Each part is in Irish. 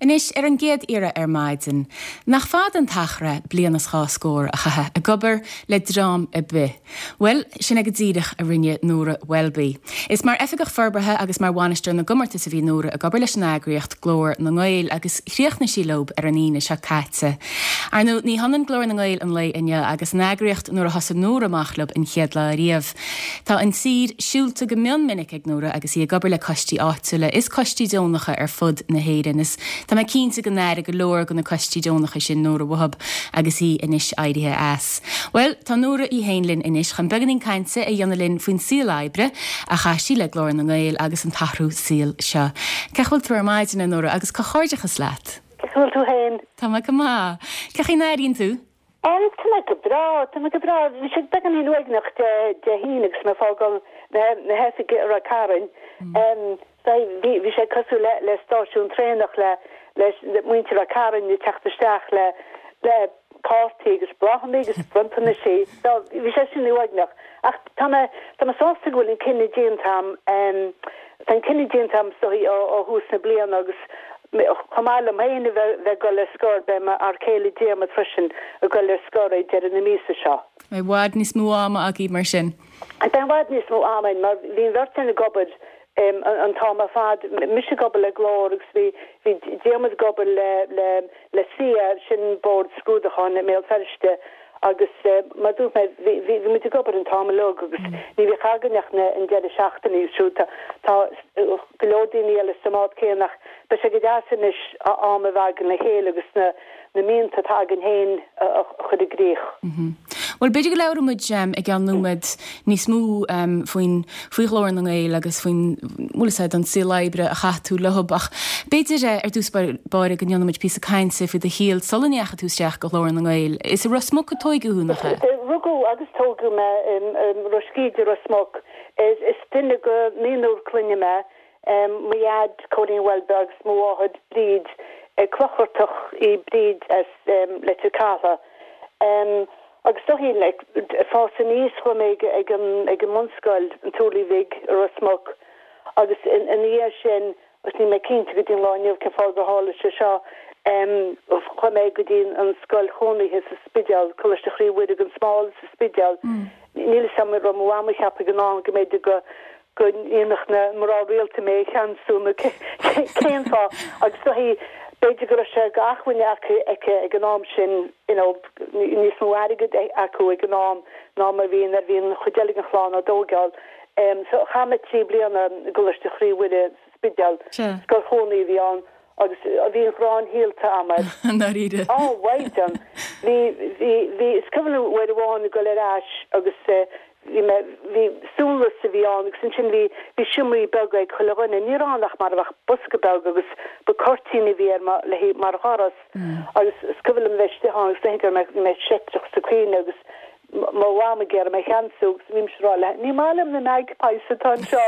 Anois, ar an gcéad iarraidh ar maidin, nach fada an t-achar é bliain is dhá scór a chaitheamh ag obair le dream ar bith? Bhuel, sin é go díreach a rinne Nóra Welby. Is mar Oifigeach Forbartha agus mar Bhainisteoir na gComórtas a bhí Nóra ag obair leis an eagraíocht Glór na nGael agus chríochnaigh sí leo ar an Aoine seo caite. Ar ndóigh, ní hionann Glór na nGael an lae inniu agus an eagraíocht nuair a thosaigh Nóra amach leo an chéad lá ariamh. Tá an tír siúlta go mion minic ag Nóra agus í ag obair le coistí áitiúla is coistí deonacha ar fud na hÉireann is tá mé cinnte go n-aireoidh go leor de na coistí deonacha sin Nóra uathu agus í anois éirithe as. Bhuel, tá Nóra í féin linn anois chun beagáinín cainte a dhéanamh linn faoin saol oibre a chaith sí le Glór na nGael agus an t-athrú saoil seo. Cén chaoi a bhfuil tú ar maidin, a Nóra, agus comhghairdeachas leat! Cén chaoi a bhfuil tú féin? Tá mé go maith. Cén chaoi a n-airíonn tú? Em, tá mé go breá, tá mé go breá. Bhí sé beagáinín uaigneach Dé Dé hAoine agus mé ag fágáil na na hoifige i Ráth Cairn. Em, bhí bhí sé cosúil le le stáisiún traenach le le muintir Ráth Cairn ag teacht isteach le le cártaí agus bláthanna agus bronntanaisí. So, bhí sé sin uaigneach. Ach tá mé tá mé sásta go bhfuil an cinneadh déanta a'm, em, tá an cinneadh déanta a'm is dóigh ó ó thús na bliana agus Chomh maith liom féin a bheith ag dul ar scor, beidh m'fhear céile Diarmuid freisin ag dul ar scor ag deireadh na míosa seo. Beidh i bhfad níos mó ama agaibh mar sin. Beidh i bhfad níos mó ama againn mar bhí an bheirt againn ag obair an t-am ar fad, mise ag obair le Glór agus bhí bhí Diarmuid ag obair le le le SIAE, sin Bord Scrúdúcháin i mBéal Feirste agus mar a dúirt mé bhí bhí muid ag obair an t-am uilig agus ní bhíodh againn ach na an deireadh seachtaine agus siúd tá tá go leor daoine eile sa mbád céanna ach beidh sé go deas anois am a bheith againn le chéile agus na na mianta atá againn féin a chur i gcrích. Bhuel, b'fhéidir go labhróidh muid i gceann nóiméad níos mó faoin, faoi Ghlór na nGael agus faoin, bhfuil fhios a'd, an saol oibre a chaith tú leo ach b'fhéidir ar dtús báire go ndéanfaidh muid píosa cainte faoi do shaol sula ndeachaigh tú isteach go Ghlór na nGael. Is i Ros Muc a tóigeadh thú, nach ea? Rugadh agus tógadh mé i Ros Gíde, Ros Muc. Is duine de naonúr clainne mé, mo dhaid, Cóilín Welby agus mo mháthair, Bríd, Clochartach í Bríd as Leitir Catha. Agus is dóichí, like, fás aníos chuaigh mé ag an ag an mbunscoil, an Turlaigh Bhig i Ros Muc agus ina dhiaidh sin, agus níl mé cinnte go dtí an lá inniu cén fáth gur tharla sé seo, chuaigh mé go dtí an scoil chónaithe sa Spidéal, Coláiste Chroí Mhuire gan Smál sa Spidéal. Níl fhios a'm an raibh mo mham ag ceapadh ag an am go mb'fhéidir go go ndéanfadh na mná rialta mé a cheansú nó cén fáth agus is dóichí b'fhéidir go raibh sé d'acmhainn aici aici ag an am sin you know níos mó airgid acu ag an am ná mar bhí nuair a bhí an chuid eile den chlann á dtóigeáil. So chaith mé 3 bliana i gColáiste Chroí Mhuire sa Spidéal, scoil chónaí a bhí ann agus bhí an ghráin shaolta a'm air. I ndáiríre. Á, mhaighdean! Bhí, bhí, bhí, is cuimhin liom uair amháin ag dul ar ais agus bhí mé, bhí suanlios a bhí ann agus ansin bhí, bhí seomraí beaga ag chuile dhuine. Ní raibh ann ach mar a bheadh bosca beag agus ba cuirtín a bhí air mar, le, mar dhoras agus is cuimhin liom bheith istigh ann agus go raibh mé, bhí mé seitreach sa cuimhne agus mo mham ag iarraidh mé a cheansú agus bhí mise ag rá léi, ní maith liom na magpies atá anseo.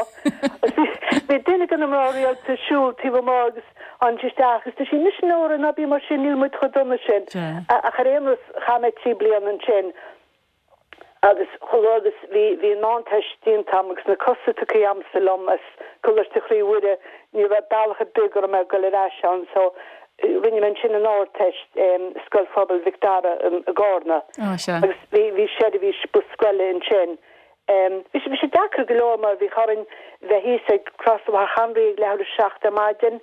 Bhí duine de na mná rialta ag siúl taobh amuigh agus tháinig sí isteach agus dúirt sí, Muise a Nóra, ná bí mar sin, níl muid chomh dona sin. Ach ar aon nós, chaith mé 3 bliana ansin agus chomh luath agus bhí bhí an Meánteist déanta agam agus na cosa tugtha agamsa liom as Coláiste Chroí Mhuire, ní raibh bealach ar bith go raibh mé ag dul ar ais ann so Rinne mé ansin an Ardteist i Scoil Phobail Mhic Dara i gCarna agus bhí seirbhís bus scoile ansin. Bhí sé bhí sé deacair go leor mar bhí orainn bheith thíos ag crosbhóthar Hanraí ag leathuair tar éis a 7 ar maidin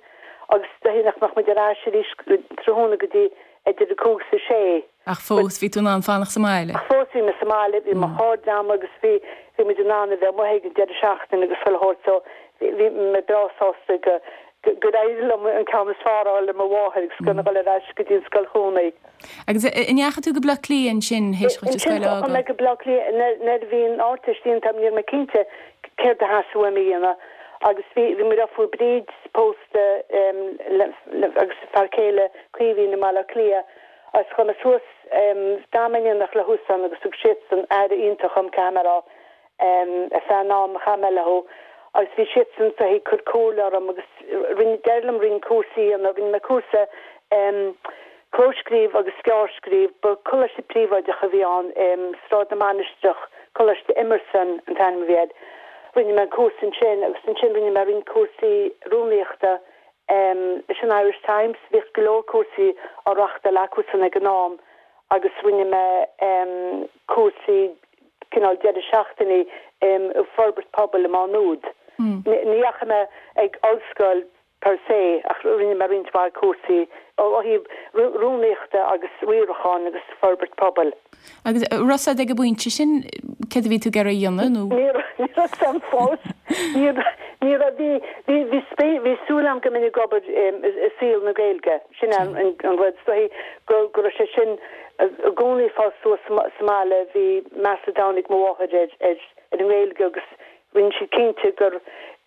agus is dóichí nach mbeadh muid ar ais arís tráthnóna go dtí idir a 5 is a 6. Ach fós, bhí tú in ann fanacht sa mbaile? Ach fós bhí mé sa mbaile, bhí mo chairde a'm agus bhí, bhí muid in ann a bheith amuigh ag an deireadh seachtaine agus chuile shórt so bhí, bhí mé breá sásta go, gur éirigh liom an ceann is fearr a fháil ar mo mháthair agus gan a dhul ar ais go dtí an scoil chónaí. Agus an ndeachaigh tú go Bleá Cliath ansin théis dhuit an scoil a Ansin chuaigh fhágáil? mé go Bleá Cliath nuair a bhí an Ardteist déanta a'm ní raibh mé cinnte céard a theastaigh uaim a dhéanamh agus bhí, bhí mo dheirfiúr Bríd pósta le, le, agus a fear céile Caoimhín i mBaile Átha Cliath Agus chuaigh mé suas, d'fhan mé in éineacht leosan agus thug siadsan aire iontach dhom, caithfidh mé a rá, ar feadh an am a chaith mé leo. Agus bhí siadsan is dóichí ag cur comhairle orm agus rinne, d'éirigh liom roinnt cúrsaí a dhéanamh. Rinne mé cúrsa clóscríobh agus gearrscríobh. Ba coláiste príobháideach a bhí ann i Sráid na Mainistreach, Coláiste Emerson an t-ainm a bhí air. Rinne mé an cúrsa ansin agus ansin rinne mé roinnt cúrsaí rúnaíochta. Leis an Irish Times, bhíodh go leor cúrsaí á reáchtáil acusan ag an am agus rinne mé cúrsaí cineál deireadh seachtaine i bhforbairt pobail i Má Nuad. Ní dheachaigh mé ag ollscoil per se ach rinne mé roinnt mhaith cúrsaí ó thaobh rúnaíochta agus riaracháin agus forbairt pobail. Agus raibh a fhios agat ag an bpointe sin céard a bhí tú ag iarraidh a dhéanamh nó? Ní raibh a fhios agam fós. Ní ní raibh. Bhí bhí bhí spé bhí súil agam go mbeinn ag obair i saol na Gaeilge. Sin an an rud. Is dóichí go go raibh sé sin i gcónaí ag fás suas sa mbaile. Bhí meas an domhain ag mo mháthair ar ar ar an nGaeilge agus Rinne sí cinnte gur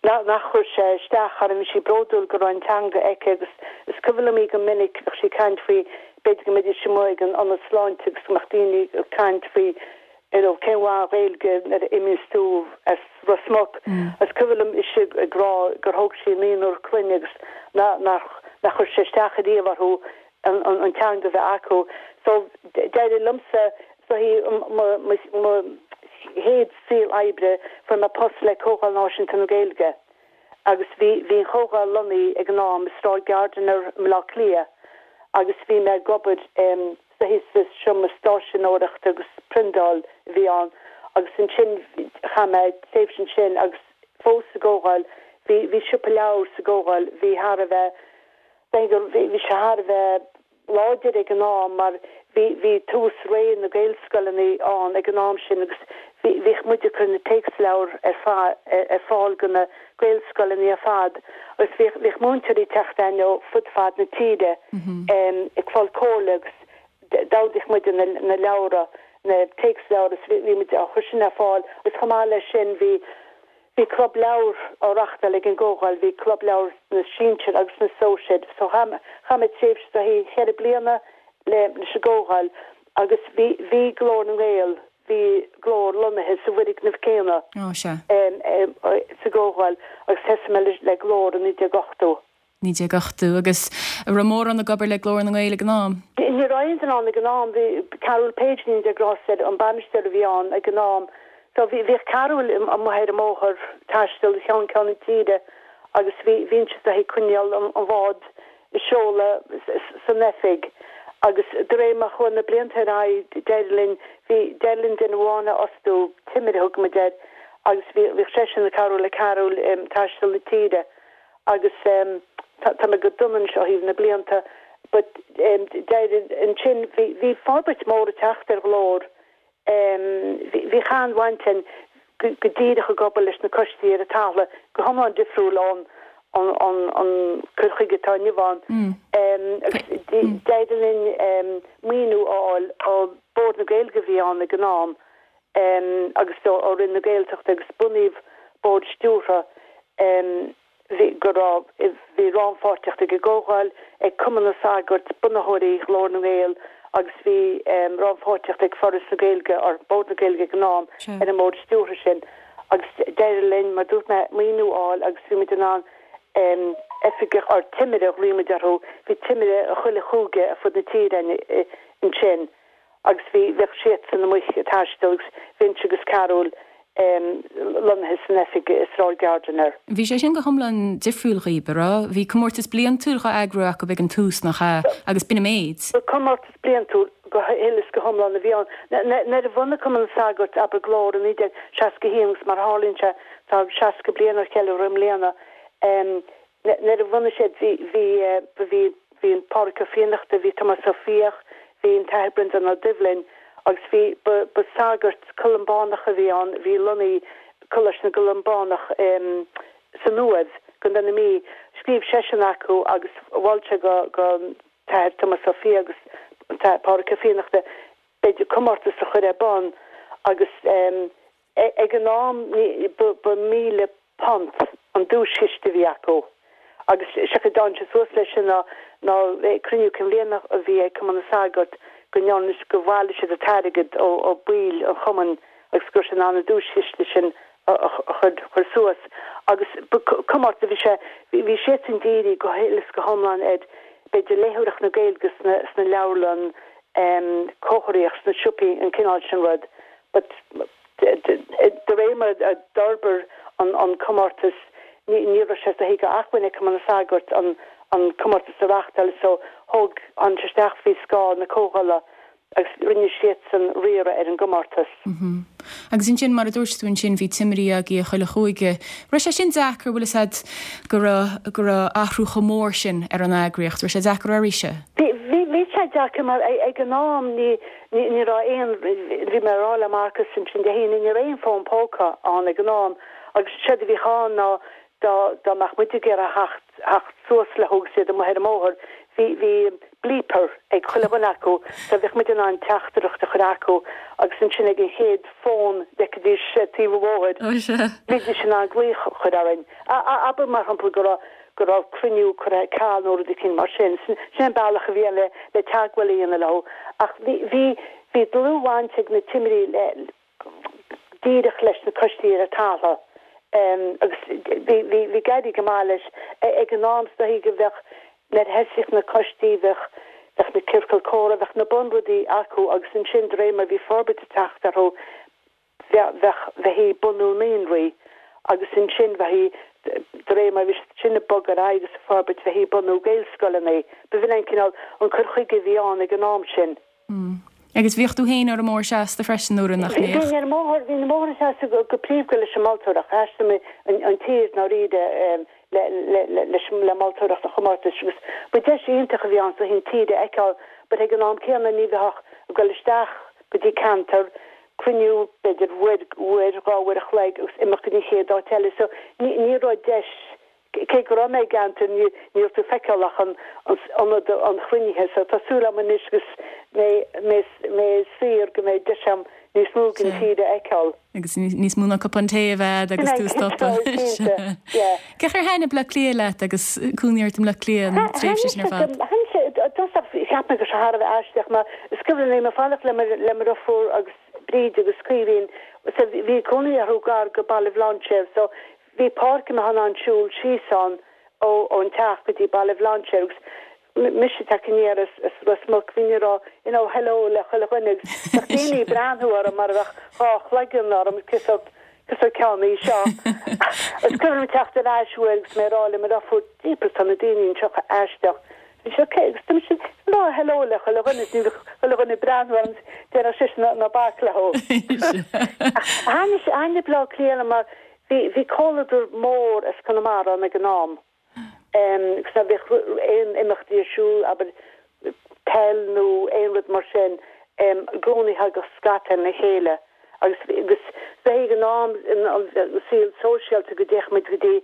nach chuir sé isteach orm, bhí sí bródúil go raibh an teanga aici agus is cuimhin liom í go minic, bheadh sí ag caint faoi, b'fhéidir go mbeidís amuigh ag an ionad sláinte agus go mbeadh daoine ag caint faoi you know cén mhaith an Ghaeilge nuair a imíos tú as Ros Muc. Is cuimhin liom ise ag rá gur thóg sí naonúr clainne agus nach nach chuir sé isteach ariamh orthu an an teanga a bheith acu. So d'éirigh liomsa So mo chéad saol oibre fuair mé post le Comhdháil Náisiúnta na Gaeilge agus bhí bhí an Chomhdháil lonnaithe ag an am i Sráid Gardiner i mBaile Átha Cliath agus bhí mé ag obair sa sa seomra stáiseanóireachta agus priondáil a bhí ann agus ansin chaith mé tréimhse ansin agus fós sa gComhdháil bhí bhí siopa leabhar sa gComhdháil bhí thar a bheith bhí sé thar a bheith láidir ag an am mar bhí bhí tús ré na Gaelscoileanna ann ag an am sin agus bhí bhíodh muid ag cur na téacsleabhair ar fa ar fáil go na Gaelscoileanna ar fad agus bhíodh bhíodh múinteoirí ag teacht againn ó fud fad na tíre ag fáil comhairle agus d'ordaíodh muid na na leabhra na téacsleabhair agus bhí bhí muid á chur sin ar fáil agus chomh maith leis sin bhí Bhí club leabhar á reachtáil ag an gComhdháil, bhí club leabhar sna sinsir agus sna sóisir. So chaith chaith mé tréimhse de cheithre bliana le leis an gComhdháil agus bhí bhí Glór na nGael, bhí Glór lonnaithe sa bhfoirgneamh céanna Ó, sea. sa gComhdháil agus thosaigh mé le le Glór i 1980. 1980, agus an raibh mórán ag obair le Glór na nGael ag an am? Ní raibh aon duine ann ag an am, bhí Carúl Page go ndéana Dia grásta air, an bainisteoir a bhí ann ag an am. So bhí, bhíodh Carúl amuigh ar an mbóthar, taisteal ó cheann ceann na tíre agus bhí, bhínnse ag coinneáil an, an bhád ag seoladh san oifig agus de réir mar chuaigh na blianta ar aghaidh d'éirigh linn, bhí, d'éirigh linn duine amháin a fhostú, Timire a thug muid air, agus bhí, bhíodh seisean ag cabhrú le Carúl taisteal na tíre. agus tá mé go dona anois ó thaobh na blianta but d'éirigh ansin bhí bhí forbairt mór ag teacht ar Ghlór bhí bhí an-bhaint againn go go díreach ag obair leis na coistí ar an talamh go hiomlán difriúil ón an an an cur chuige atá inniu ann agus d'éirigh linn maoiniú a fháil ó Bord na Gaeilge a bhí ann ag an am agus ó Roinn na Gaeltachta agus bunaíodh bord stiúrtha bhí go raibh bhí rannpháirtíocht ag an gComhdháil, ag Cumann na Sagart, bunaitheoirí Ghlór na nGael agus bhí rannpháirtíocht ag Foras na Gaeilge, or Bord na Gaeilge ag an am, ar an mbord stiúrtha sin agus d'éirigh linn, mar dúirt mé, maoiniú a fháil agus bhí muid in ann oifigeach, or timire a ghlaoigh muid orthu, bhí timire i chuile chúige ar fud na tíre ansin. agus bhí, bheadh siadsan amuigh ag taisteal agus bheinnse agus Carúl lonnaithe san oifig i Sráid Gardiner. Bhí sé sin go hiomlán difriúil dhaoib, a raibh? Bhí comórtas bliantúil dhá eagrú acu ag an tús, nach ea? Agus b'in an méid. Ba comórtas bliantúil go huile is go hiomlán a bhí ann. Nuair a bhunaigh Cumann na Sagart, abair, Glór i 1961 agus mar a tharlaíonn sé tá 60 bliain á cheiliúradh i mbliana, Nuair a bhunaigh siad bhí, bhí, bhí, bhí an Pádraig Ó Fiannachta, bhí Tomás Ó Fiaich, bhí an tAthair Breandán Ó Doibhlin agus bhí, ba, ba sagart Columbánach a bhí ann, bhí lonnaithe i Coláiste na gColumbánach san Uaimh, gContae na Mí. Scríobh seisean acu agus mhol sé go, go tAthair Tomás Ó Fiaich agus an tAthair Pádraig Ó Fiannachta b'fhéidir comórtas a chur ar bun agus Ag an am ba £1,000 an duaischiste a bhí acu agus sé an chaoi a dtáinig sé suas leis sin ná ná cruinniú cinn bhliana a bhí ag Cumann na Sagart go ndearna go bhailigh siad an t-airgead ó ó baill an chumainn agus go raibh siad in ann an duaischiste sin a chur chur suas agus ba comórtas a bhí sé bhí siadsan dírithe go huile is go hiomlán ar b'fhéidir léitheoireacht na Gaeilge sna sna leabharlann comharthaíocht sna siopaí an cineál sin rud. But de réir mar a d'fhorbair an comórtas. Ní ní raibh sé is dóichí d'acmhainn ag Cumann na Sagart an an comórtas a reáchtáil so thóg tháinig sé isteach faoi scáth na Comhdhála agus rinne siadsan riaradh ar an gcomórtas. Agus ansin, mar a dúirt tú ansin, bhí timirí agaibh i chuile chúige. Raibh sé sin deacair, bhfuil fhios a'd, go raibh, go raibh athrú chomh mór sin ar an eagraíocht, raibh sé deacair oraibhse? Bhí, bhí, bhí sé deacair mar ag an am ní, ní, ní raibh aon, bhí mé ag rá le Marcus ansin Dé hAoine, ní raibh aon fón póca ann ag an am agus séard a bhíodh ann ná dá, dá mbeadh muid ag iarraidh theacht, theacht suas leo agus iad amuigh ar an mbóthar, bhí, bhí bleeper ag chuile dhuine acu so bheadh muid in ann teachtaireacht a chur acu agus ansin ag an chéad fón a d'fheicfidís taobh an bhóthair, bhídís in ann glaoch a chur orainn. Abair mar shampla go raibh, go raibh cruinniú curtha ar ceal nó rud eicínt mar sin. Sin an bealach a bhí ann le, le teagmháil a dhéanamh leo. Ach bhí, bhí, bhí dlúthbhaint ag na timirí le, díreach leis na coistí ar an talamh agus bhí ag éirí go maith leis. Ag an am is dóichí go bheadh, nuair a thosaíodh na coistí bheadh, bheadh na ciorcail comhrá, bheadh na bunrudaí acu agus ansin de réir mar bhí forbairt ag teacht orthu bheadh, bheadh, bheifí ag bunú naíonraí agus ansin bheifí, de réir mar bhí siad sin ag bogadh ar aghaidh agus ag forbairt bheifí ag bunú Gaelscoileanna. B'in an cineál, an cur chuige a bhí ann ag an am sin. Agus bhíodh tú féin ar an mbóthar seasta freisin nuair nach mbíodh? Bhínn ar an mbóthar, bhínn ar an mbóthar seasta go príomha leis an moltóireacht. Thaistil mé an tír i ndáiríre le, le, le, leis, le moltóireacht an chomórtais agus ba deis iontach a bhí ann is dóichí an tír a fheiceáil but ag an am céanna ní bheifeá ach ag dul isteach go dtí ceantar, cruinniú b'fhéidir uair, uair, dhá uair a chloig agus imeacht go dtí an chéad áit eile so ní, ní raibh deis Cé go raibh mé i gceantar, ní raibh tú ag feiceáil ach an ionad an chruinnithe so tá súil agam anois agus mé mé mé saor go mbeidh deis agam níos mó den tír a fheiceáil. Agus níos mó ná cupán tae a bheith agat agus tú ag stopadh. Cinnte, yeah. Cén chaoi ar thaitnigh Bleá Cliath leat agus cónaí ort i mBleá Cliath an tréimhse sin ar fad? Thaitnigh sé, i dtosach cheap mé go raibh sé thar a bheith aisteach mar is cuimhin liom ag fanacht le mo le mo dheirfiúr agus Bríd agus Caoimhín so bhí cónaí orthu gar go Baile Bhlainséir so Bhí páirc a mbeifeá in ann siúl síos ann ó ón teach go dtí Baile Bhlainséir agus mise ag teacht aniar as as Ros Muc bhínn ag rá you know hello le chuile dhuine agus bheadh daoine ag breathnú orm mar a bheadh dhá chloigeann orm cé sórt cé sórt ceann í seo. Is cuimhin liom teacht ar ais uair agus mé ag rá le mo dheirfiúr jeepers tá na daoine anseo chomh aisteach. Bhí sé ok agus tá mise ag rá hello le chuile dhuine is ní bheadh chuile dhuine ag breathnú orm déarfadh seisean ná ná bac leo. Thaitnigh thaitnigh Bleá Cliath liom mar Bhí, bhí comhluadar mór as Conamara ann ag an am agus nuair a bhíodh aon imeachtaí ar siúl, abair peil nó aon rud mar sin, i gcónaí thagadh scata le chéile agus, agus bheith ag an am, an saol sóisialta go dtéadh muid go dtí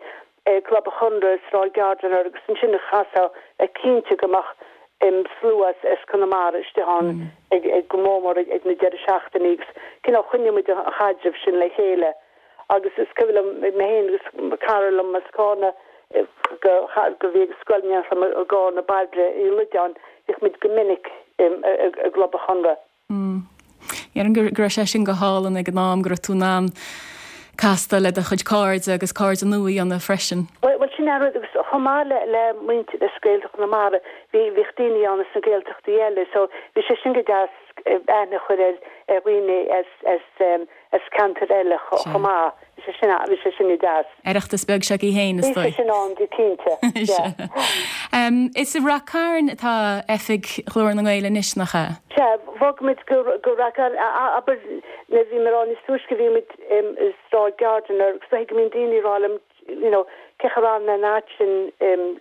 Club an Chonradh i Sráid Gardiner agus ansin chaithfeá a bheith cinnte go mbeadh slua as Conamara istigh ann ag, go mór mór ag na deireadh seachtainí agus cineál choinnigh muid an chaidreamh sin le chéile. Agus is cuimhin liom mé féin agus cara liom as Cárna go go bhí ag scoil in éineacht liom i gCárna, Bairbre Uí Loideáin, bhíodh muid go minic i gClub an Chonradh. Déarfainn go raibh sé sin go hálainn ag an am, go raibh tú in ann castáil le do chuid cairde agus cairde nua a dhéanamh freisin. Bhuel, sin é an rud agus chomh maith le le muintir as Gaeltacht Chonamara, bhí bhíodh daoine ann as na Gaeltachtaí eile so bhí sé sin go deas aithne a chur ar ar dhaoine as as as ceantair eile chomh maith. Bhí sé sin, bhí sé sin deas. Oireachtas beag s'agaibh féin, is dóigh. Bhí sé sin ann, go cinnte, yeah. Is i Rath Cairn atá oifig Ghlór na nGael anois, nach ea? Sea, bhog muid go, go Rath Cairn, abair, nuair a bhí mé ag rá níos túisce, bhí muid i Sráid Gardiner agus go mbíonn daoine ag rá liom, you know, cén chaoi ar fhan mé in áit sin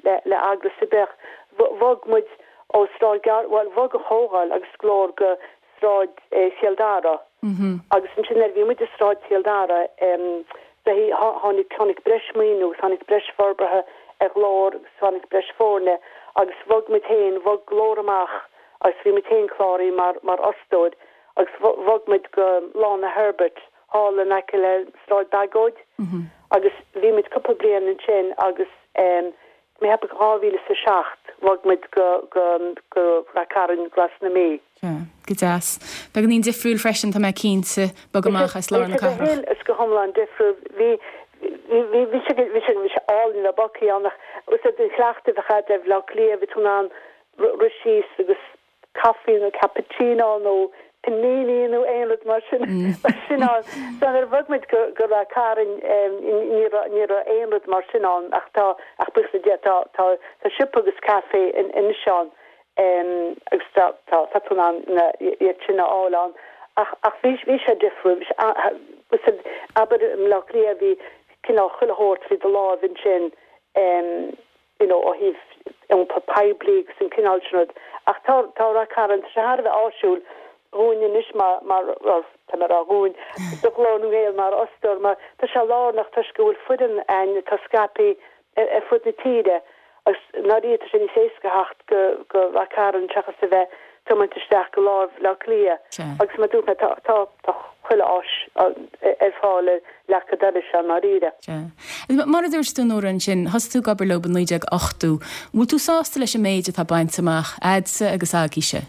le, le eagras ar bith. Bhog muid ó Sráid Gardiner, bhuel, bhog an Chomhdháil agus Glór go Sráid Chill Dara agus ansin nuair a bhí muid i Sráid Chill Dara tháinig tháinig breis maoiniú agus tháinig breis forbartha ar Ghlór agus tháinig breis foirne agus bhog muid féin, bhog Glór amach agus bhí muid féin cláraithe mar mar fhostóir agus bhog muid go Lána Herbert thall in aice le Sráid Bagóid agus bhí muid cúpla bliain ansin agus mé ag ceapadh 2007 bhog muid go go go Rath Cairn Glas na Mí. Sea, go deas. Beagáinín difriúil freisin, tá mé cinnte, bogadh amach as lár na cathrach. Bhí sé go hiomlán difriúil. Bhí bhí bhí sé bhí sé bhí sé álainn le bogthaí ann ach is é an cleachtadh a bheadh agat ar Bhleá Cliath, bhí tú in ann rith síos agus caife nó cappuccino nó. Panini nó aon rud mar sin mar sin ann. So nuair a bhog muid go go Ráth Cairn ní raibh ní raibh aon rud mar sin ann ach tá ach buíochas le Dia tá tá tá siopa agus caife anois ann agus tá tá tá tú in ann na iad sin a fháil ann ach ach bhí bhí sé difriúil bhí sé abair i mBleá Cliath bhí cineál chuile shórt faoi do láimh ansin you know ó thaobh iompar poiblí agus an cineál sin rud. Ach tá, tá Ráth Cairn, tá sé thar a bheith áisiúil dhúinn anois mar, mar, or tá mé ag rá dhúinn, do Ghlór na nGael mar fhostóir mar tá sé lárnach toisc go bhfuil foireann a'inn atá scaipthe ar, ar fud na tíre agus i ndáiríre tá sé níos éasca theacht go, go Ráth Cairn seachas a bheith tiomáint isteach go lár Bhaile Átha Cliath. Agus mar a dúirt mé tá, tá, tá chuile áis ar fáil ar leac an dorais i ndáiríre. Sea. Mar a dúirt tú Nóra ansin, thosaigh tú ag obair leo i 1980. An bhfuil tú sásta leis an méid atá bainte amach a'dsa agus agaibhse?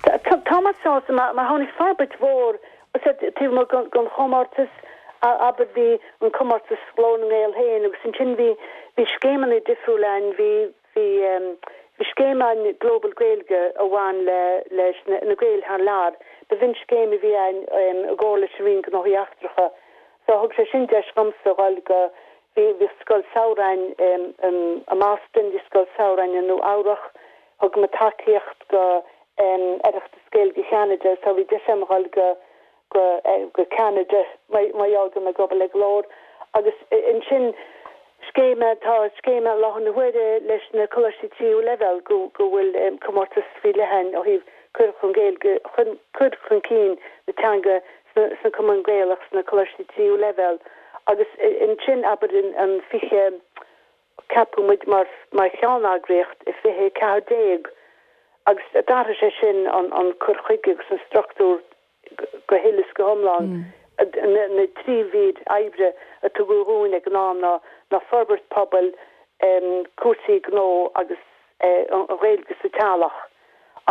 Tá mé sásta mar tháinig forbairt mhór taobh amuigh den chomórtas, abair bhí an comórtas Glór na nGael féin agus ansin bhí bhí scéimeanna difriúla ann, bhí bhí bhí scéim ann Global Gaeilge a bhain le leis na Gaeil thar lear. B'in scéim a bhí ann i gcomhar leis an Roinn Gnóthaí Eachtracha. So thug sé sin deis dhomsa dhul go, bhí, bhí scoil samhraidh ann i mBoston, bhí scoil samhraidh i Nua Eabhrach, thug muid tacaíocht go Oireachtas Gaeilge Cheanada, so bhí deis agam dhul go, go, go Ceanada mar gheall go raibh mé ag obair le Glór. Agus ansin scéim, tá scéim i láthair na huaire leis na coláistí tríú leibhéal go, go bhfuil comórtas faoi leith ann ó thaobh cur chun Gaeilge, chun, cur chun cinn na teanga sna cumainn Gaelach sna coláistí tríú leibhéal agus ansin abair an 20, ceapadh muid mar mar cheanneagraíocht i 2014 agus d'athraigh sé sin an cur chuige agus an struchtúr go huile is go hiomlán. Na 3 mhír oibre a tugadh dhúinn ag an am ná ná forbairt pobail, cúrsaí gnó agus an Ghaeilge sa teaghlach.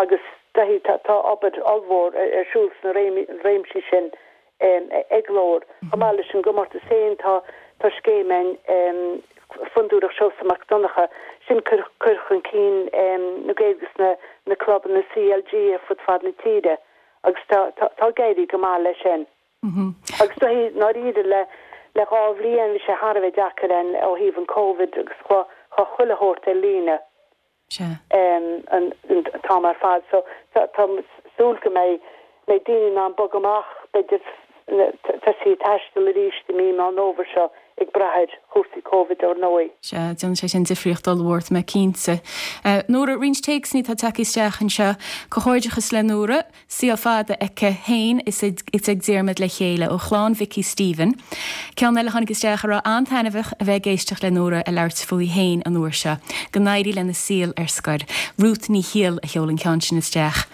Agus tá obair ollmhór ar siúl sna réimsí sin ag Glór. Chomh maith leis an gcomórtas féin tá scéim ann, Fondúireacht Seosamh Mac Donncha, sin cur chun cinn na Gaeilge sna na clubanna CLG ar fud fad na tíre agus tá ag éirí go maith leis sin. Agus i ndáiríre le le 2 bhliain bhí sé thar a bheith deacair ann ó thaobh an Covid agus chuaigh chuile shórt ar líne. Sea. an t-am ar fad so tá súil go mbeidh mbeidh daoine in ann bogadh amach, b'fhéidir tosaí ag taisteal arís i mí Meán Fhómhair seo ag brath ar chúrsaí Covid ar ndóigh. Sea, déanann sé sin difríocht ollmhór, tá mé cinnte. Nóra, roinnt téacsanna atá tagtha isteach anseo. Comhghairdeachas le Nóra. Saol fada aici féin is ag Diarmuid le chéile, ó chlann Mhicí Stephen. Ceann eile a tháinig isteach a rá an-taitneamhach a bheith ag éisteacht le Nóra ag labhairt fúithi féin an uair seo. Go n-éirí lena saol ar scor. Ruth Ní Shiail a sheol an ceann sin isteach.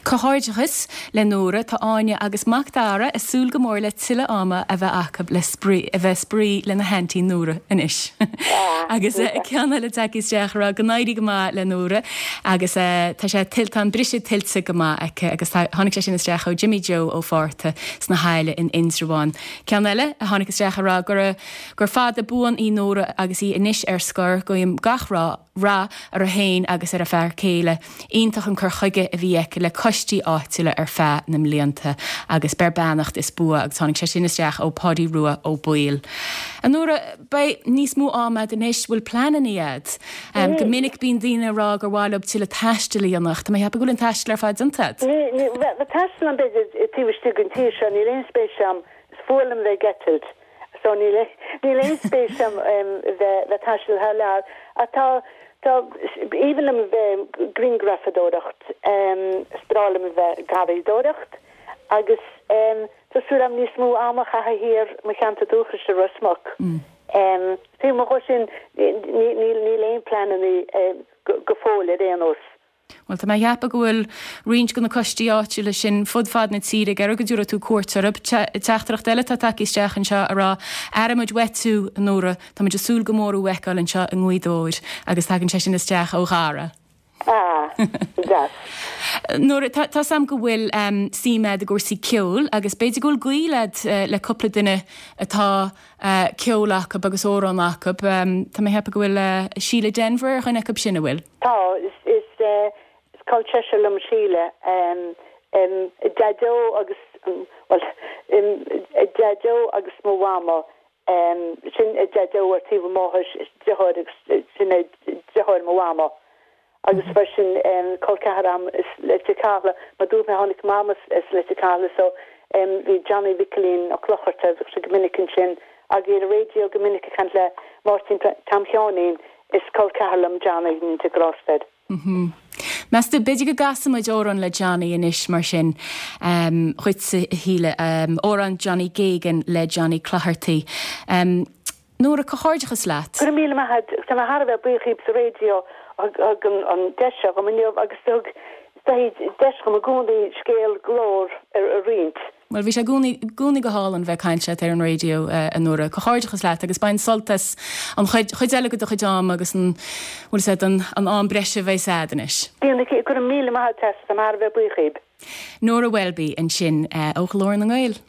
Comhghairdeachas le Nóra, tá Áine agus Mac Dara ag súil go mór le tuilleadh ama a bheith acu le spraoi, a bheith spraoi lena haintín Nóra anois. Agus ceann eile tagtha isteach a rá go n-éirí go maith le Nóra agus tá sé tá an briseadh tuillte go maith aici agus tá tháinig sé sin isteach ó Jimmy Joe Ó Fátharta sna hAille in Indreabhán. Ceann eile a tháinig isteach a rá gur gur fada buan í Nóra agus í anois ar scor, guím gach rath rath uirthi féin agus ar a fear céile. Iontach an cur chuige a bhí aici le coistí áitiúla ar feadh na mblianta agus beir beannacht is bua agus tháinig sé sin isteach ó Pháidí Rua Ó Baoill. A Nóra, beidh níos mó ama a'd anois, bhfuil pleananna a'd? Go minic bíonn daoine ag rá gur mhaith leo tuilleadh taistil a dhéanamh ach tá mé ag ceapadh go bhfuil an taisteal ar fad déanta a'd. Ní, ní, bheith taisteal ann b'fhéidir taobh istigh den tír seo, níl aon spéis a'm, is fuath liom bheith ag eitilt. So níl níl aon spéis a'm bheith ag taisteal thar lear. Ach tá tá aoibhinn liom bheith grianghrafadóireacht, is breá liom a bheith garraíodóireacht agus tá súil a'm níos mó ama a chaitheamh thiar mo cheantar dúchais i Ros Muc. Taobh amuigh dhe sin níl níl aon pleananna go fóill ar aon nós. Bhuel, tá mé a cheapadh go bhfuil roinnt de na coistí áitiúla sin fud fad na tíre ag iarraidh go dtabharfaidh tú cuairt orthu. Teachtaireacht eile atá tagtha isteach anseo a rá, Airímid uait tú, a Nóra, tá muid ag súil go mór thú a fheiceáil anseo i nGaoth Dobhair agus tagann sé sin isteach ó Dhara. Ah, deas. Nóra, tá 's a'm go bhfuil suim a'd i gcúrsaí ceoil agus b'fhéidir go bhfuil gaol a'd le cúpla duine atá ceol acu agus amhráin acu. Tá mé a cheapadh go bhfuil Síle Denvir ar dhuine acu sin, an bhfuil? Tá, is is col seisear liom Síle. Daideo agus, bhuel, Daideo agus mo mhamó, sin Daideo ar taobh a máthar, deartháir agus sin é deartháir mo mhamó. Agus freisin col ceathar a'm as Leitir Cathala, mar dúirt mé tháinig Mam as Leitir Cathala so bhí Johnny Mhicilín Ó Clochartaigh, bhíodh sé go minic ansin agus ar an raidió go minic ag caint le Máirtín Tom Sheáinín, is col ceathar liom Johnny, an grásta air. Meas tú, b'fhéidir go gcasfaidh muid amhrán le Johnny anois mar sin dhuitse a Shíle, amhrán Johnny Geoghegan le Johnny Clogherty. Nóra, comhghairdeachas leat. Go raibh míle maith a't. Tá mé thar a bheith buíoch dhíbh sa raidió a thug an deis seo dhom inniu agus a thug deis dhom i gcónaí scéal Glór a roinnt. Bhuel, bhí sé i gcónaí, i gcónaí go hálainn bheith ag caint leat ar an raidió, a Nóra. Comhghairdeachas leat agus bain sult as an chuid, chuid eile de do chuid ama agus an, bhfuil 'fhios a'd, an, an am breise a bheas a'd anois. Déanfaidh, go raibh míle maith a't, Treasa, tá mé thar a bheith buíoch dhíbh. Nóra Welby ansin ó Ghlór na nGael.